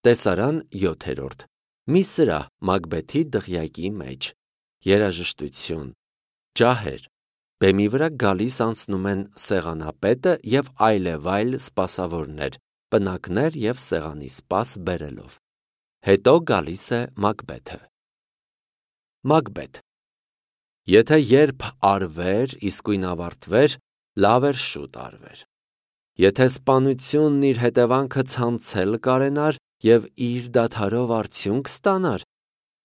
Տեսարան 7. Մի սրահ Մակբեթի դղյակի մեջ։ Երաժշտություն։ Ջահեր։ Բեմի վրա գալիս անցնում են սեղանապետը և այլևայլ սպասավորներ, պնակներ և սեղանի սպաս բերելով։ Հետո գալիս է Մակբեթը։ Մակբեթ։ Եթե երբ արվեր, իսկույն ավարտվեր, լավ էր շուտ արվեր։ Եթե սպանությունն իր հետևանքը ցանցել կարենար և իր դադարով արդյունք ստանար,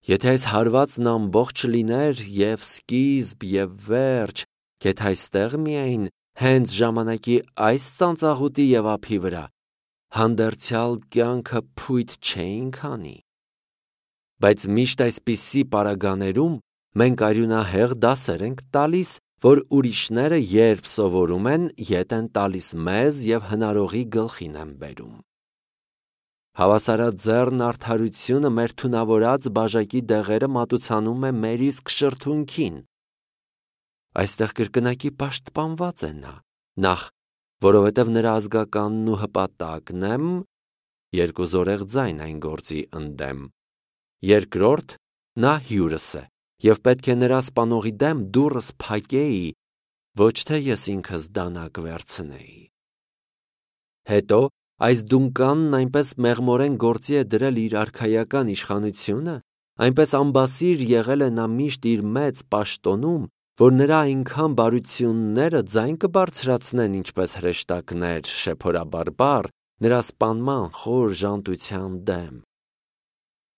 եթե այս հարվածն ամբողջ լիներ և սկիզբ և վերջ, գեթ այստեղ միայն հենց ժամանակի այս ծանծաղուտի և ափի վրա, հանդերձյալ կյանքը փույթ չէինք անի։ Բայց միշտ այսպիսի պարագաներում մենք արյունահեղ դասեր ենք տալիս, որ ուրիշները երբ սովորում են, ետ են տալիս մեզ և հնարողի գլխին են բերում։ Հավասարաձեռն արդարությունը մեր թունավորած բաժակի դեղերը մատուցանում է մեր իսկ շրթունքին։ Այստեղ կրկնակի պաշտպանված է նա, նախ, որովհետև նրա ազգականն ու հպատակն եմ, երկու զորեղ ձայն այն գործի ընդեմ, երկրորդ, նա հյուրս է, և պետք է նրա սպանողի դեմ դուռս փակեի, ոչ թե ես ինքս դանակ վերցնեի։ Հետո այս դունկանն այնպես մեղմորեն գործի է դրել իր արքայական իշխանությունը, այնպես ամբասիր եղել է նա միշտ իր մեծ պաշտոնում, որ նրա այնքան բարությունները ձայն կբարձրացնեն ինչպես հրեշտակներ շեփորաբարբառ նրա սպանման խոր ժանտության դեմ։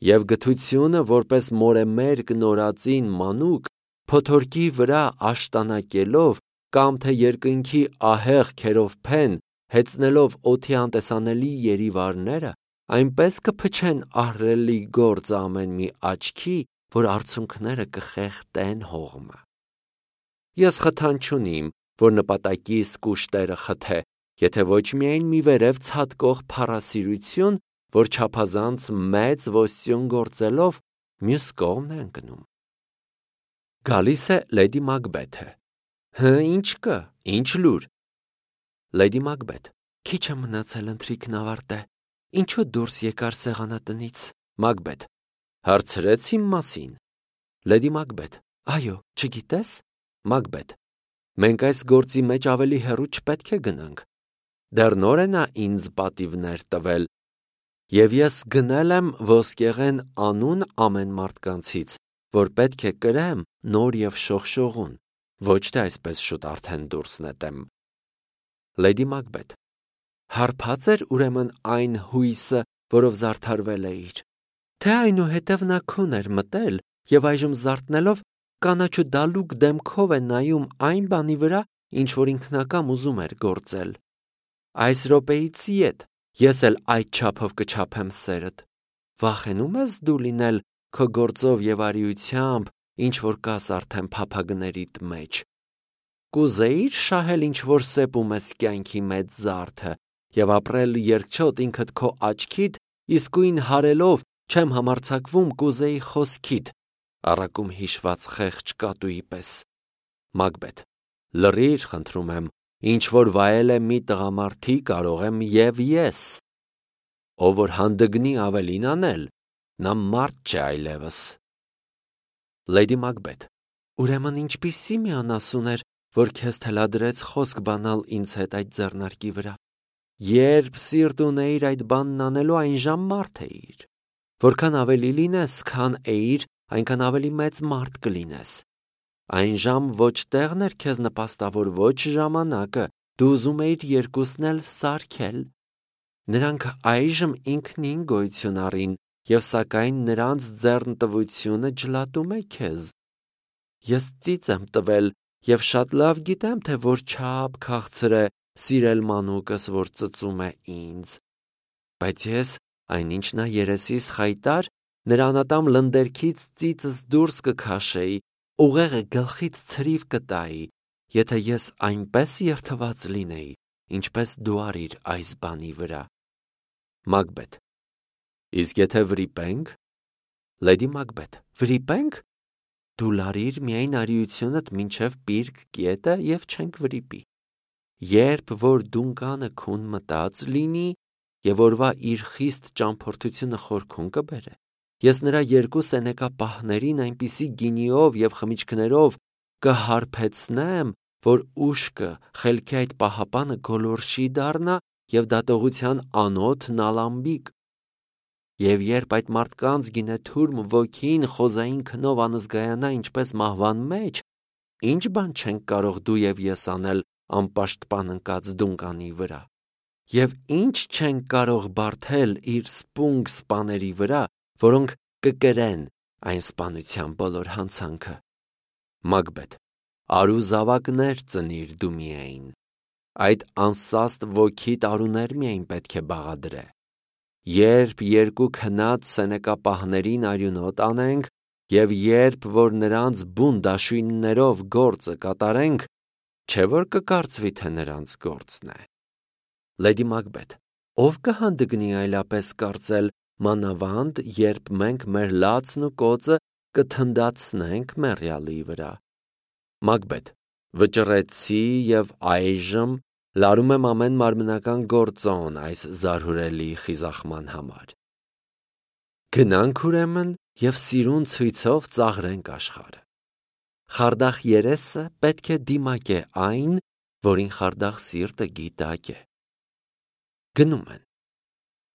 Եվ գթությունը, որպես մորեմերկ նորածին մանուկ, փոթորկի վրա աշտանակելով կամ թե երկնքի ահեղ քերովբեն հեծնելով օդի անտեսանելի երիվարները, այնպես կփչեն ահռելի գործը ամեն մի աչքի, որ արցունքները կխեղդեն հողմը։ Ես խթան չունիմ, որ նպատակիս կուշտերը խթե, եթե ոչ միայն մի վերև ցատկող փառասիրություն, որ չափազանց մեծ ոստյուն գործելով մյուս կողմն է ընկնում։ Գալիս է լեդի Մակբեթը։ Ինչ կա, ինչ լուր։ Լեդի Մակբեթ։ Քիչ է մնացել ընթրիքն ավարտե։ Ինչու դուրս եկար սեղանատնից։ Մակբեթ։ Հարցրեց իմ մասին։ Լեդի Մակբեթ։ Այո, չգիտես։ Մակբեթ։ Մենք այս գործի մեջ ավելի հեռու չպետք է գնանք։ Դեռ նոր է նա ինձ պատիվներ տվել, և ես գնել եմ ոսկեղեն անուն ամեն մարդկանցից, որ պետք է կրեմ նոր և շողշողուն, ոչ թե այսպես շուտ արդեն դուրս նետեմ։ Լեդի Մակբեթ։ Հարբած էր ուրեմն այն հույսը, որով զարդարվել էիր, թե այնուհետև նա քուն էր մտել և այժմ զարթնելով կանաչու դալուկ դեմքով է նայում այն բանի վրա, ինչ որ ինքնակամ ուզում էր գործել։ Այս րոպեից ետ ես էլ այդ չափով կչափեմ սերդ։ Վախենու՞մ ես դու լինել քո գործով և արիությամբ, ինչ որ կաս արդեն փափագներիդ մեջ։ Կուզեի՞ր շահել ինչ որ սեպում ես կյանքի մեծ զարդը և ապրել երկչոտ ինքդ քո աչքիդ, իսկույն հարելով չեմ համարձակվում կուզեի խոսքիդ, առակում հիշված խեղճ կատուի պես։ Մակբեթ։ Լռիր, խնդրում եմ, ինչ որ վայել է մի տղամարդի կարող եմ և ես։ Ով որ հանդգնի ավելին անել, նա մարդ չէ այլևս։ Լեդի Մակբեթ։ Ուրեմն ինչպիսի մի անասուն էր, որ քեզ թելադրեց խոսք բանալ ինձ հետ այդ ձեռնարկի վրա։ Երբ սիրտ ունեիր այդ բանն անելու, այնժամ մարդ էիր։ Որքան ավելի լինես, քան էիր, այնքան ավելի մեծ մարդ կլինես։ Այնժամ ոչ տեղն էր քեզ նպաստավոր, ոչ ժամանակը, դու ուզում էիր երկուսն էլ սարքել։ Նրանք այժմ ինքնին գոյություն առին, և սակայն նրանց ձեռնտվությունը ջլատում է քեզ։ Ես ծիծ եմ տվել և շատ լավ գիտեմ, թե որչափ քաղցր է սիրել մանուկս, որ ծծում է ինձ։ Բայց ես, այնինչ նա երեսիս խայտար, նրա անատամ լնդերքից ծիծս դուրս կքաշեի, ուղեղը գլխից ցրիվ կտայի, եթե ես այնպես երդված լինեի, ինչպես դու արիր այս բանի վրա։ Մակբեթ։ Իսկ եթե վրիպենք։ Լեդի Մակբեթ։ Վրիպենք։ Դու լարիր միայն արիությունդ մինչև պիրկ կետը և չենք վրիպի։ Երբ որ դունկանը քուն մտած լինի, եւ օրվա իր խիստ ճամփորդությունը խորքում կբերե։ Ես նրա երկու սենեկա պահներին այնպիսի գինիով եւ խմիչքներով կհարբեցնեմ, որ ուշքը խելքի այդ պահապանը գոլորշի դառնա եւ դատողության անոթ նալամբիկ։ Եվ երբ այդ մարդկանց գինեթուրմ ոգին խոզային քնով անզգայանա ինչպես մահվան մեջ, ինչ բան չենք կարող դու եւ ես անել անպաշտպան ընկած դունկանի վրա, եւ ինչ չենք կարող բարթել իր սպունգ սպաների վրա, որոնք կկրեն այն սպանության բոլոր հանցանքը։ Մագբեթ, արու զավակներ ծնիր դու միայն, այդ անսաստ ոգի տարուներ միայն պետք է բաղադրե։ Երբ երկու քնած սենեկապահներին արյունոտ անենք եւ երբ որ նրանց բուն դաշույններով գործը կատարենք, չէ որ կկարծվի թե նրանց գործն է։ Լեդի Մագբեթ, ով կհանդգնի այլապես կարծել, մանավանդ երբ մենք մեր լացն ու կոծը կթնդացնենք մեռյալի վրա։ Մագբեթ, վճռեցի եւ այժմ լարում եմ ամեն մարմնական գործոն այս զարհուրելի խիզախման համար։ Գնանք ուրեմն եւ սիրուն ցույցով ծաղրենք աշխարհը։ Խարդախ երեսը պետք է դիմակե այն, որին խարդախ սիրտը գիտակ է։ Գնում են։